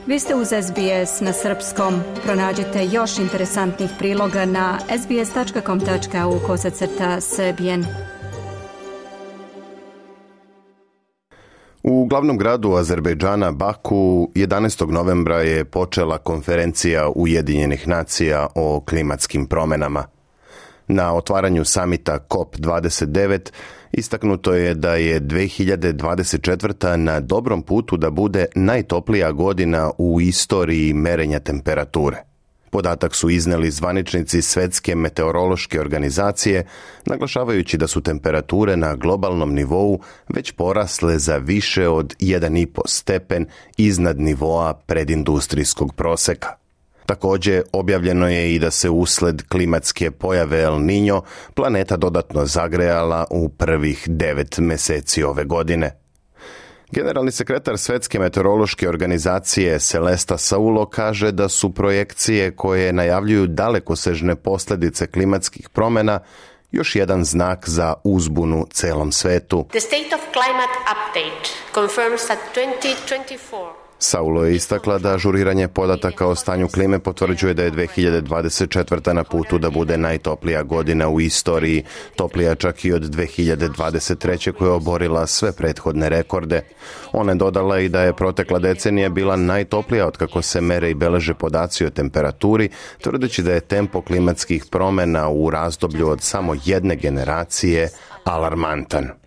Vi ste uz SBS na srpskom. Pronađite još interesantnih priloga na sbs.com.au/srbijen. U glavnom gradu Azerbejdžana, Baku, 11. novembra je počela konferencija Ujedinjenih nacija o klimatskim promjenama. Na otvaranju samita COP29 istaknuto je da je 2024. na dobrom putu da bude najtoplija godina u istoriji merenja temperature. Podatak su izneli zvaničnici Svjetske meteorološke organizacije, naglašavajući da su temperature na globalnom nivou već porasle za više od 1,5 stepen iznad nivoa predindustrijskog proseka. Također, objavljeno je i da se usled klimatske pojave El Niño planeta dodatno zagrejala u prvih 9 mjeseci ove godine. Generalni sekretar Svjetske meteorološke organizacije Celesta Saulo kaže da su projekcije koje najavljuju dalekosežne posljedice klimatskih promjena još jedan znak za uzbunu celom svetu. The State of Climate Update confirms that 2024 Saulo je istakla da ažuriranje podataka o stanju klime potvrđuje da je 2024. na putu da bude najtoplija godina u istoriji, toplija čak i od 2023. koja je oborila sve prethodne rekorde. Ona je dodala i da je protekla decenija bila najtoplija otkako se mere i beleže podaci o temperaturi, tvrdeći da je tempo klimatskih promjena u razdoblju od samo jedne generacije alarmantan.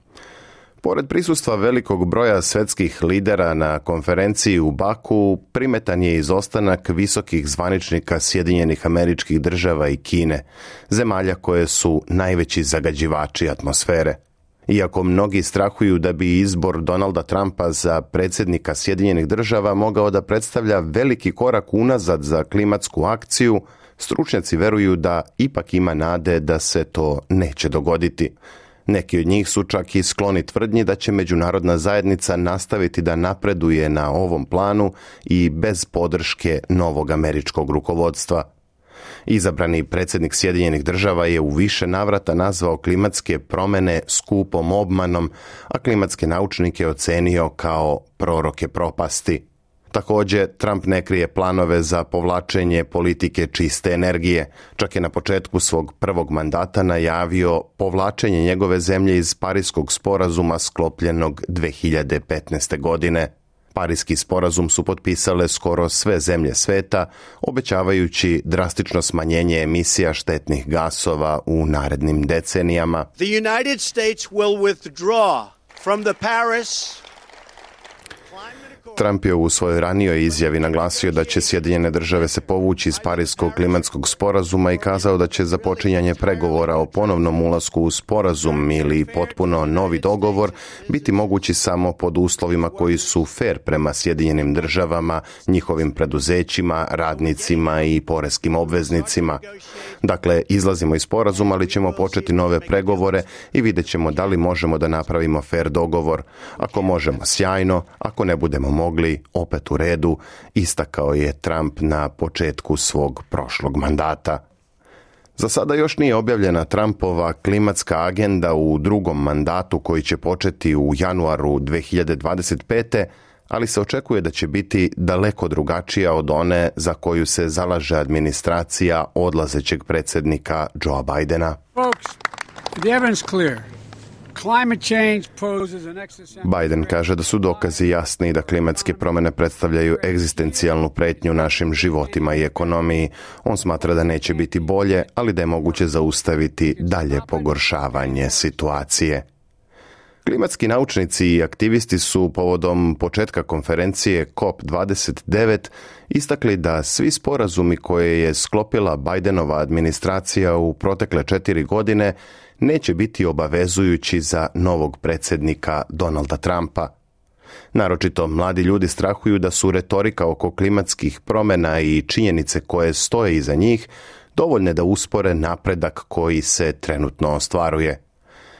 Pored prisustva velikog broja svjetskih lidera na konferenciji u Baku, primetan je izostanak visokih zvaničnika Sjedinjenih Američkih Država i Kine, zemalja koje su najveći zagađivači atmosfere. Iako mnogi strahuju da bi izbor Donalda Trumpa za predsjednika Sjedinjenih Država mogao da predstavlja veliki korak unazad za klimatsku akciju, stručnjaci veruju da ipak ima nade da se to neće dogoditi. Neki od njih su čak i skloni tvrdnji da će međunarodna zajednica nastaviti da napreduje na ovom planu i bez podrške novog američkog rukovodstva. Izabrani predsjednik Sjedinjenih Država je u više navrata nazvao klimatske promjene skupom obmanom, a klimatske naučnike ocenio kao proroke propasti. Također, Trump ne krije planove za povlačenje politike čiste energije. Čak je na početku svog prvog mandata najavio povlačenje njegove zemlje iz Pariškog sporazuma sklopljenog 2015. godine. Pariški sporazum su potpisale skoro sve zemlje sveta, obećavajući drastično smanjenje emisija štetnih gasova u narednim decenijama. The United States will withdraw from the Paris. Trump je u svojoj ranijoj izjavi naglasio da će Sjedinjene Države se povući iz Pariškog klimatskog sporazuma i kazao da će započinjanje pregovora o ponovnom ulasku u sporazum ili potpuno novi dogovor biti mogući samo pod uslovima koji su fer prema Sjedinjenim Državama, njihovim preduzećima, radnicima i poreskim obveznicima. Dakle, izlazimo iz sporazuma, ali ćemo početi nove pregovore i vidjet ćemo da li možemo da napravimo fer dogovor. Ako možemo, sjajno, ako ne budemo mogli, opet u redu, istakao je Trump na početku svog prošlog mandata. Za sada još nije objavljena Trumpova klimatska agenda u drugom mandatu koji će početi u januaru 2025. ali se očekuje da će biti daleko drugačija od one za koju se zalaže administracija odlazećeg predsjednika Joea Bidena. Biden kaže da su dokazi jasni da klimatske promjene predstavljaju egzistencijalnu pretnju našim životima i ekonomiji. On smatra da neće biti bolje, ali da je moguće zaustaviti dalje pogoršavanje situacije. Klimatski naučnici i aktivisti su povodom početka konferencije COP29 istakli da svi sporazumi koje je sklopila Bidenova administracija u protekle 4 godine neće biti obavezujući za novog predsjednika Donalda Trumpa. Naročito mladi ljudi strahuju da su retorika oko klimatskih promjena i činjenice koje stoje iza njih dovoljne da uspore napredak koji se trenutno ostvaruje.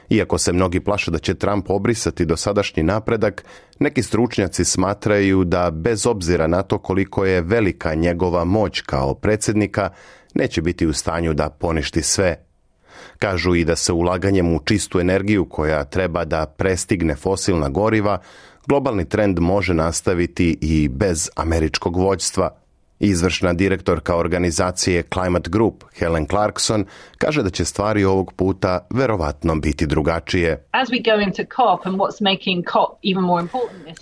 Iako se mnogi plaše da će Trump obrisati dosadašnji napredak, neki stručnjaci smatraju da bez obzira na to koliko je velika njegova moć kao predsjednika, neće biti u stanju da poništi sve. Kažu i da se ulaganjem u čistu energiju koja treba da prestigne fosilna goriva, Globalni trend može nastaviti i bez američkog vođstva. Izvršna direktorka organizacije Climate Group, Helen Clarkson, kaže da će stvari ovog puta verovatno biti drugačije.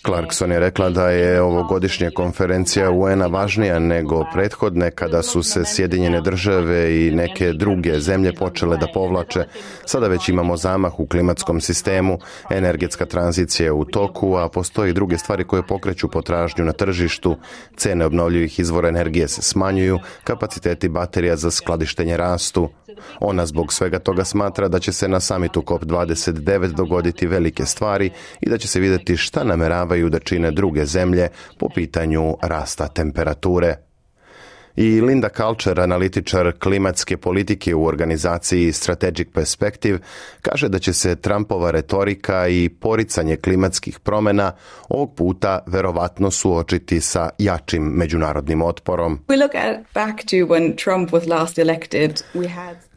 Clarkson je rekla da je ovogodišnja konferencija UN-a važnija nego prethodne kada su se Sjedinjene države i neke druge zemlje počele da povlače. Sada već imamo zamah u klimatskom sistemu, energetska tranzicija je u toku, a postoje i druge stvari koje pokreću potražnju na tržištu. Cene obnovljivih izvora energije se smanjuju, kapaciteti baterija za skladištenje rastu. Ona zbog svega toga smatra da će se na samitu COP29 dogoditi velike stvari i da će se vidjeti šta nameravaju da čine druge zemlje po pitanju rasta temperature. I Linda Culture, analitičar klimatske politike u organizaciji Strategic Perspective, kaže da će se Trumpova retorika i poricanje klimatskih promjena ovog puta verovatno suočiti sa jačim međunarodnim otporom.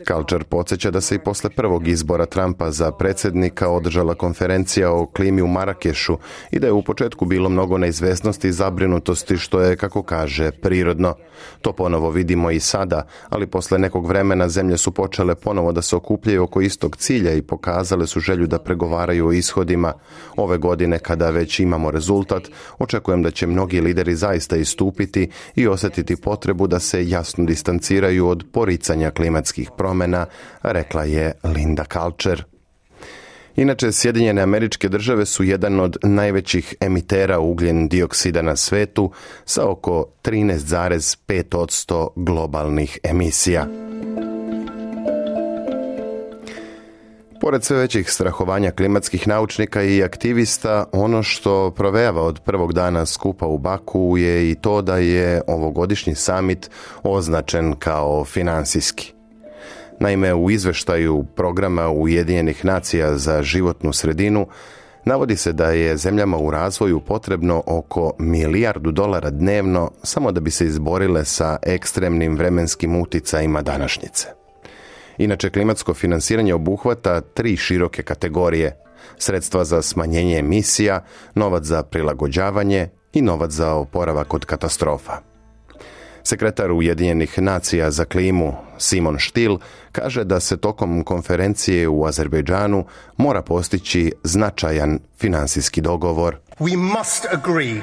Culture podsjeća da se i posle prvog izbora Trumpa za predsjednika održala konferencija o klimi u Marakešu i da je u početku bilo mnogo neizvesnosti i zabrinutosti, što je, kako kaže, prirodno. To ponovo vidimo i sada, ali posle nekog vremena zemlje su počele ponovo da se okupljaju oko istog cilja i pokazale su želju da pregovaraju o ishodima. Ove godine, kada već imamo rezultat, očekujem da će mnogi lideri zaista istupiti i osjetiti potrebu da se jasno distanciraju od poricanja klimatskih promjena, rekla je Linda Culture. Inače, Sjedinjene Američke Države su jedan od najvećih emitera ugljen dioksida na svetu sa oko 13,5% globalnih emisija. Pored sve većih strahovanja klimatskih naučnika i aktivista, ono što provejava od prvog dana skupa u Baku je i to da je ovogodišnji samit označen kao finansijski. Naime, u izveštaju programa Ujedinjenih nacija za životnu sredinu navodi se da je zemljama u razvoju potrebno oko $1 milijardu dnevno samo da bi se izborile sa ekstremnim vremenskim uticajima današnjice. Inače, klimatsko finansiranje obuhvata 3 široke kategorije: sredstva za smanjenje emisija, novac za prilagođavanje i novac za oporavak od katastrofa. Sekretar Ujedinjenih nacija za klimu Simon Stihl kaže da se tokom konferencije u Azerbejdžanu mora postići značajan finansijski dogovor. We must agree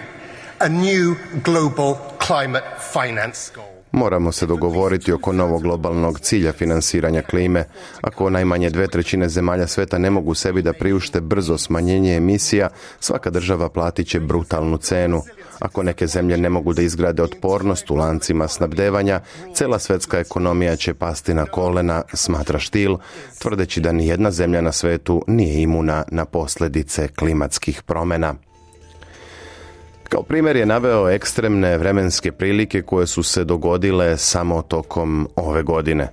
a new global climate finance goal. Moramo se dogovoriti oko novog globalnog cilja finansiranja klime. Ako najmanje 2/3 zemalja sveta ne mogu sebi da priušte brzo smanjenje emisija, svaka država platit će brutalnu cenu. Ako neke zemlje ne mogu da izgrade otpornost u lancima snabdevanja, cela svetska ekonomija će pasti na kolena, smatra Stihl, tvrdeći da nijedna zemlja na svetu nije imuna na posljedice klimatskih promjena. Kao primjer je naveo ekstremne vremenske prilike koje su se dogodile samo tokom ove godine.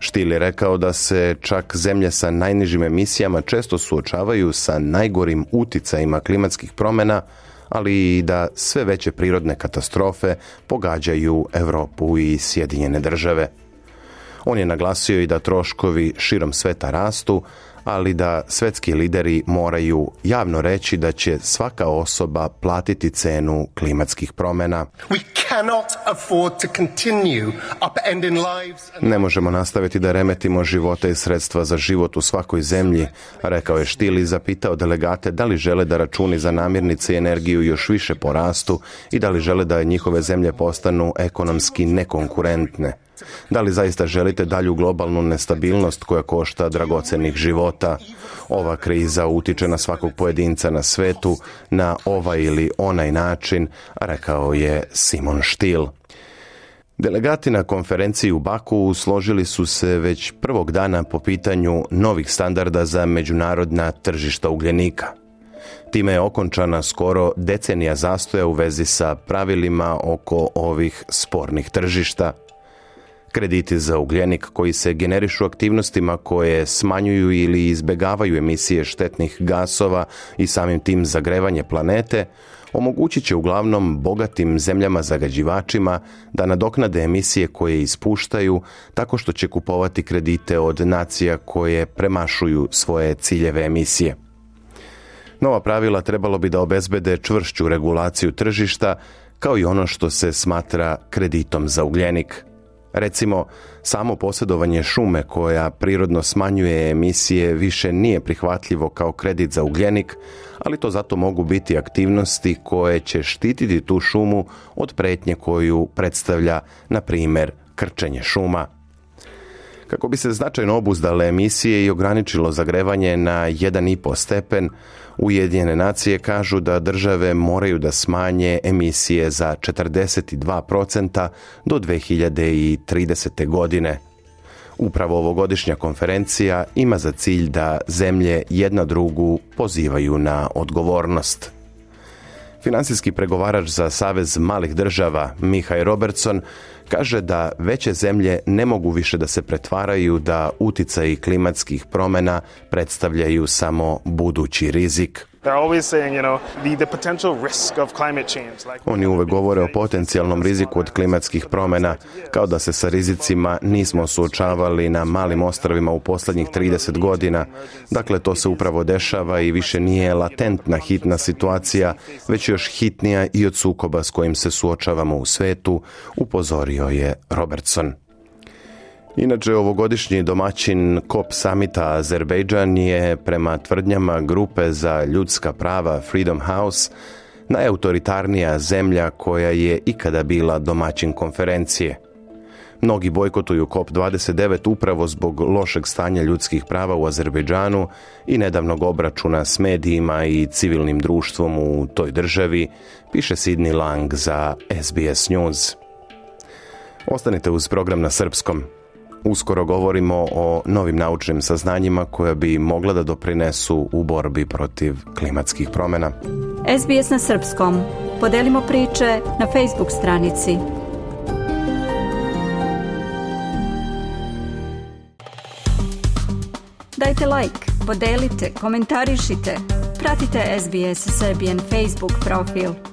Stihl je rekao da se čak zemlje sa najnižim emisijama često suočavaju sa najgorim uticajima klimatskih promjena, ali i da sve veće prirodne katastrofe pogađaju Europu i Sjedinjene države. On je naglasio i da troškovi širom sveta rastu, ali da svetski lideri moraju javno reći da će svaka osoba platiti cenu klimatskih promjena. Ne možemo nastaviti da remetimo živote i sredstva za život u svakoj zemlji, rekao je Stihl i zapitao delegate da li žele da računi za namirnice i energiju još više porastu i da li žele da njihove zemlje postanu ekonomski nekonkurentne. Da li zaista želite dalju globalnu nestabilnost koja košta dragocenih života? Ova kriza utiče na svakog pojedinca na svetu na ovaj ili onaj način, rekao je Simon Stihl. Delegati na konferenciji u Baku složili su se već prvog dana po pitanju novih standarda za međunarodna tržišta ugljenika. Time je okončana skoro decenija zastoja u vezi sa pravilima oko ovih spornih tržišta. Krediti za ugljenik koji se generišu aktivnostima koje smanjuju ili izbjegavaju emisije štetnih gasova i samim tim zagrevanje planete, omogućit će uglavnom bogatim zemljama zagađivačima da nadoknade emisije koje ispuštaju tako što će kupovati kredite od nacija koje premašuju svoje ciljeve emisije. Nova pravila trebalo bi da obezbede čvršću regulaciju tržišta, kao i ono što se smatra kreditom za ugljenik. Recimo, samo posjedovanje šume koja prirodno smanjuje emisije više nije prihvatljivo kao kredit za ugljenik, ali to zato mogu biti aktivnosti koje će štititi tu šumu od prijetnje koju predstavlja, na primjer, krčenje šuma. Kako bi se značajno obuzdale emisije i ograničilo zagrevanje na 1,5 stepen, Ujedinjene nacije kažu da države moraju da smanje emisije za 42% do 2030. godine. Upravo ovogodišnja konferencija ima za cilj da zemlje jedna drugu pozivaju na odgovornost. Finansijski pregovarač za Savez malih država, Mihaj Robertson, kaže da veće zemlje ne mogu više da se pretvaraju da uticaji klimatskih promjena predstavljaju samo budući rizik. Oni uvek govore o potencijalnom riziku od klimatskih promjena, kao da se sa rizicima nismo suočavali na malim ostrvima u posljednjih 30 godina. Dakle, to se upravo dešava i više nije latentna hitna situacija, već još hitnija i od sukoba s kojim se suočavamo u svetu, upozorio je Robertson. Inače, ovogodišnji domaćin COP samita Azerbejdžan je, prema tvrdnjama grupe za ljudska prava Freedom House, najautoritarnija zemlja koja je ikada bila domaćin konferencije. Mnogi bojkotuju COP29 upravo zbog lošeg stanja ljudskih prava u Azerbejdžanu i nedavnog obračuna s medijima i civilnim društvom u toj državi, piše Sidney Lang za SBS News. Ostanite uz program na srpskom. Uskoro govorimo o novim naučnim saznanjima koja bi mogla da doprinesu u borbi protiv klimatskih promjena. SBS na srpskom. Podelimo priče na Facebook stranici. Dajte like, podelite, komentarišite. Pratite SBS Serbian Facebook profil.